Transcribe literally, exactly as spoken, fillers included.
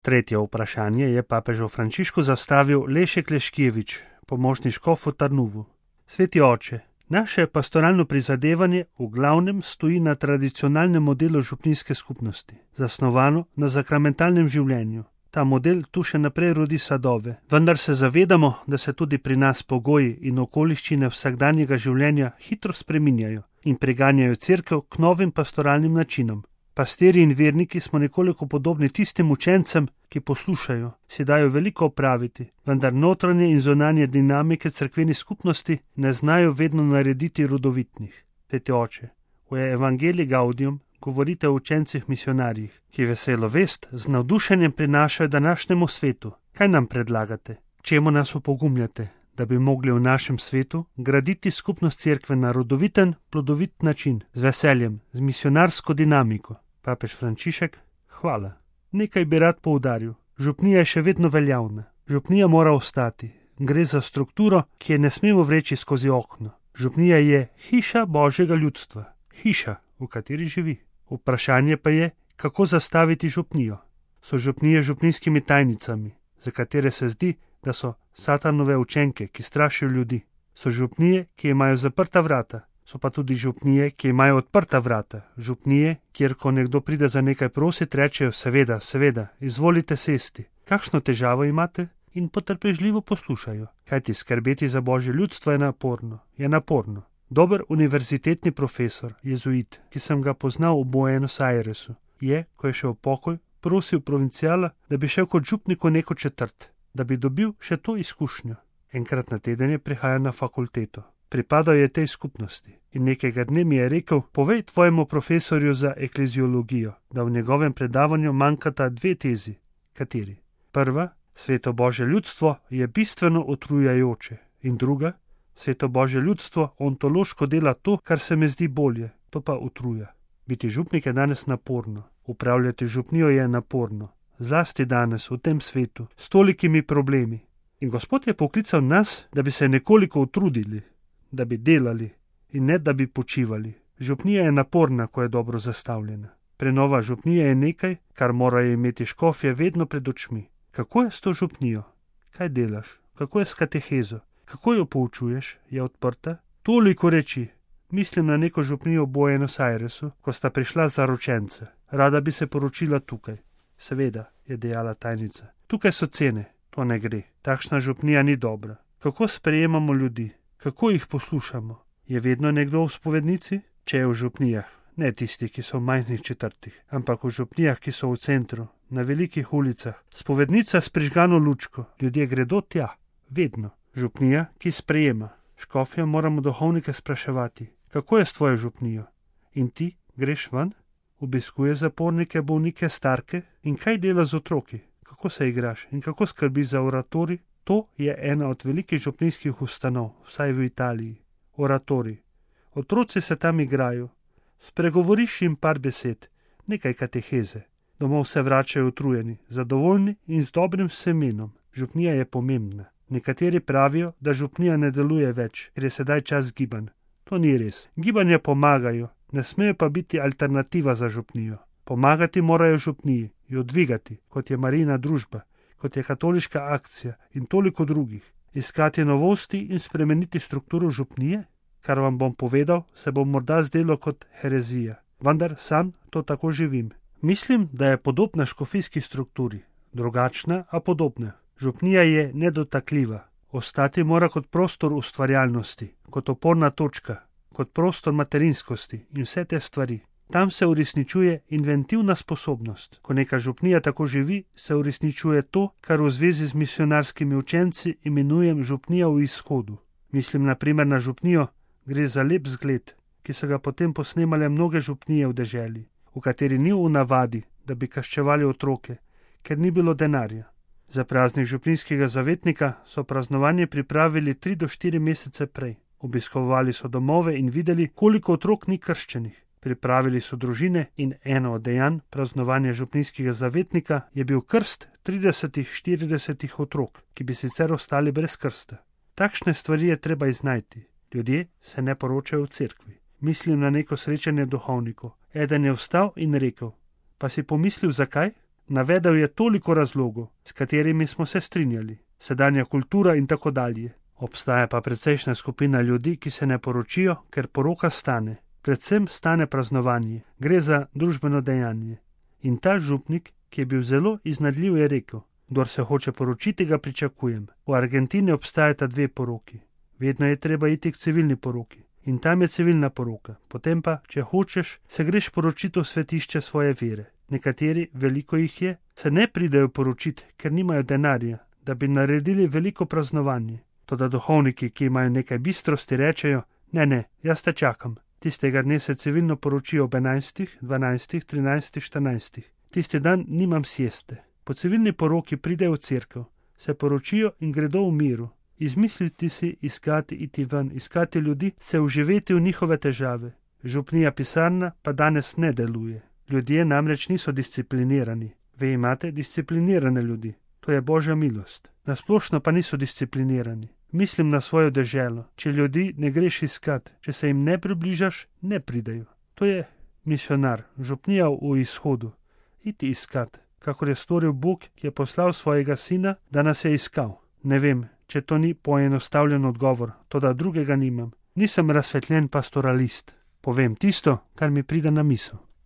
Tretje vprašanje je papežu Frančišku zastavil Lešek Leškevič, pomožni škof v Tarnuvu. Sveti oče, naše pastoralno prizadevanje v glavnem stoji na tradicionalnem modelu župnijske skupnosti, zasnovano na sakramentalnem življenju. Ta model tu še naprej rodi sadove, vendar se zavedamo, da se tudi pri nas pogoji in okoliščine vsakdanjega življenja hitro spreminjajo in preganjajo cerkev k novim pastoralnim načinom. Pastirji in verniki smo nekoliko podobni tistim učencem, ki poslušajo, si dajo veliko opraviti, vendar notranje in zunanje dinamike cerkvenih skupnosti ne znajo vedno narediti rodovitnih. Sveti oče, v Evangelii Gaudium govorite o učencih misionarjih, ki veselo vest z navdušenjem prinašajo današnjemu svetu. Kaj nam predlagate? Čemu nas opogumljate, da bi mogli v našem svetu graditi skupnost cerkve na rodoviten, plodovit način, z veseljem, z misionarsko dinamiko? Papež Frančišek, hvala. Nekaj bi rad poudaril. Župnija je še vedno veljavna. Župnija mora ostati. Gre za strukturo, ki je ne smemo vreči skozi okno. Župnija je hiša Božjega ljudstva. Hiša, v kateri živi. Vprašanje pa je, kako zastaviti župnijo. So župnije župnijskimi tajnicami, za katere se zdi, da so satanove učenke, ki strašijo ljudi. So župnije, ki imajo zaprta vrata. So pa tudi župnije, ki imajo odprta vrata. Župnije, kjer ko nekdo pride za nekaj prosit, rečejo seveda, seveda, izvolite sesti. Kakšno težavo imate? In potrpežljivo poslušajo. Kajti skrbeti za Božje ljudstvo je naporno, je naporno. Dober univerzitetni profesor, jezuit, ki sem ga poznal v Buenos Airesu, je, ko je šel v pokoj, prosil provincijala, da bi šel kot župnik v neko četrt, da bi dobil še to izkušnjo. Enkrat na teden je prihajal na fakulteto. Pripadal je tej skupnosti in nekega dne mi je rekel, povej tvojemu profesorju za ekleziologijo, da v njegovem predavanju manjkata dve tezi. Kateri? Prva, sveto Božje ljudstvo je bistveno utrujajoče, in druga, sveto Božje ljudstvo ontološko dela to, kar se mi zdi bolje, to pa utruja. Biti župnik je danes naporno, upravljati župnijo je naporno, zlasti danes v tem svetu, s tolikimi problemi. In Gospod je poklical nas, da bi se nekoliko utrudili, da bi delali in ne da bi počivali. Župnija je naporna, ko je dobro zastavljena. Prenova župnije je nekaj, kar morajo imeti škofje vedno pred očmi. Kako je s to župnijo? Kaj delaš? Kako je s katehezo? Kako jo poučuješ? Je odprta? Toliko reči. Mislim na neko župnijo v Buenos Airesu, ko sta prišla zaročence. Rada bi se poročila tukaj. Seveda, je dejala tajnica. Tukaj so cene. To ne gre. Takšna župnija ni dobra. Kako sprejemamo ljudi? Kako jih poslušamo? Je vedno nekdo v spovednici? Če je v župnijah, ne tisti, ki so v majhnih četrtih, ampak v župnijah, ki so v centru, na velikih ulicah. Spovednica s prižgano lučko. Ljudje gredo tja. Vedno. Župnija, ki sprejema. Škofja moramo duhovnike spraševati. Kako je s tvojo župnijo? In ti greš ven? Obiskuješ zapornike, bolnike, starke? In kaj dela z otroki? Kako se igraš in kako skrbiš za oratorij? To je ena od velikih župnijskih ustanov, vsaj v Italiji. Oratorij. Otroci se tam igrajo. Spregovoriš jim par besed, nekaj kateheze. Domov se vračajo utrujeni, zadovoljni in z dobrim semenom. Župnija je pomembna. Nekateri pravijo, da župnija ne deluje več, ker je sedaj čas gibanj. To ni res. Gibanja pomagajo, ne smejo pa biti alternativa za župnijo. Pomagati morajo župniji, jo dvigati, kot je Marijina družba, kot je katoliška akcija in toliko drugih. Iskati novosti in spremeniti strukturo župnije? Kar vam bom povedal, se bo morda zdelo kot herezija. Vendar sam to tako živim. Mislim, da je podobna škofijski strukturi. Drugačna, a podobna. Župnija je nedotakljiva. Ostati mora kot prostor ustvarjalnosti, kot oporna točka, kot prostor materinskosti in vse te stvari. Tam se uresničuje inventivna sposobnost. Ko neka župnija tako živi, se uresničuje to, kar v zvezi z misionarskimi učenci imenujem župnija v izhodu. Mislim na primer na župnijo, gre za lep zgled, ki so ga potem posnemale mnoge župnije v deželi, v kateri ni v navadi, da bi kaščevali otroke, ker ni bilo denarja. Za praznik župnijskega zavetnika so praznovanje pripravili tri do štiri mesece prej. Obiskovali so domove in videli, koliko otrok ni krščenih. Pripravili so družine in eno od dejanj praznovanja župnijskega zavetnika je bil krst trideset do štirideset otrok, ki bi sicer ostali brez krsta. Takšne stvari je treba iznajti. Ljudje se ne poročajo v cerkvi. Mislim na neko srečanje duhovnikov. Eden je vstal in rekel, pa si pomislil zakaj? Navedel je toliko razlogov, s katerimi smo se strinjali. Sedanja kultura in tako dalje. Obstaja pa precejšnja skupina ljudi, ki se ne poročijo, ker poroka stane. Predvsem stane praznovanje. Gre za družbeno dejanje. In ta župnik, ki je bil zelo iznajdljiv, je rekel: kdor se hoče poročiti, ga pričakujem. V Argentini obstajata dve poroki. Vedno je treba iti k civilni poroki. In tam je civilna poroka. Potem pa, če hočeš, se greš poročiti v svetišče svoje vere. Nekateri, veliko jih je, se ne pridejo poročiti, ker nimajo denarja, da bi naredili veliko praznovanje. Toda duhovniki, ki imajo nekaj bistrosti, rečejo: ne, ne, jaz te čakam. Tistega dne se civilno poročijo ob enajstih, dvanajstih, trinajstih, štirinajstih. Tisti dan nimam sieste. Po civilni poroki pridejo v cerkev, se poročijo in gredo v miru. Izmisliti si, iskati, iti ven, iskati ljudi, se vživeti v njihove težave. Župnija pisarna pa danes ne deluje. Ljudje namreč niso disciplinirani. Vi imate disciplinirane ljudi. To je Božja milost. Nasplošno pa niso disciplinirani. Mislim na svojo deželo. Če ljudi ne greš iskat, če se jim ne približaš, ne pridejo. To je misionar, župnija v izhodu. Iti iskat, kakor je storil Bog, ki je poslal svojega sina, da nas je iskal. Ne vem, če to ni poenostavljen odgovor, toda drugega nimam. Nisem razsvetljen pastoralist. Povem tisto, kar mi pride na misel.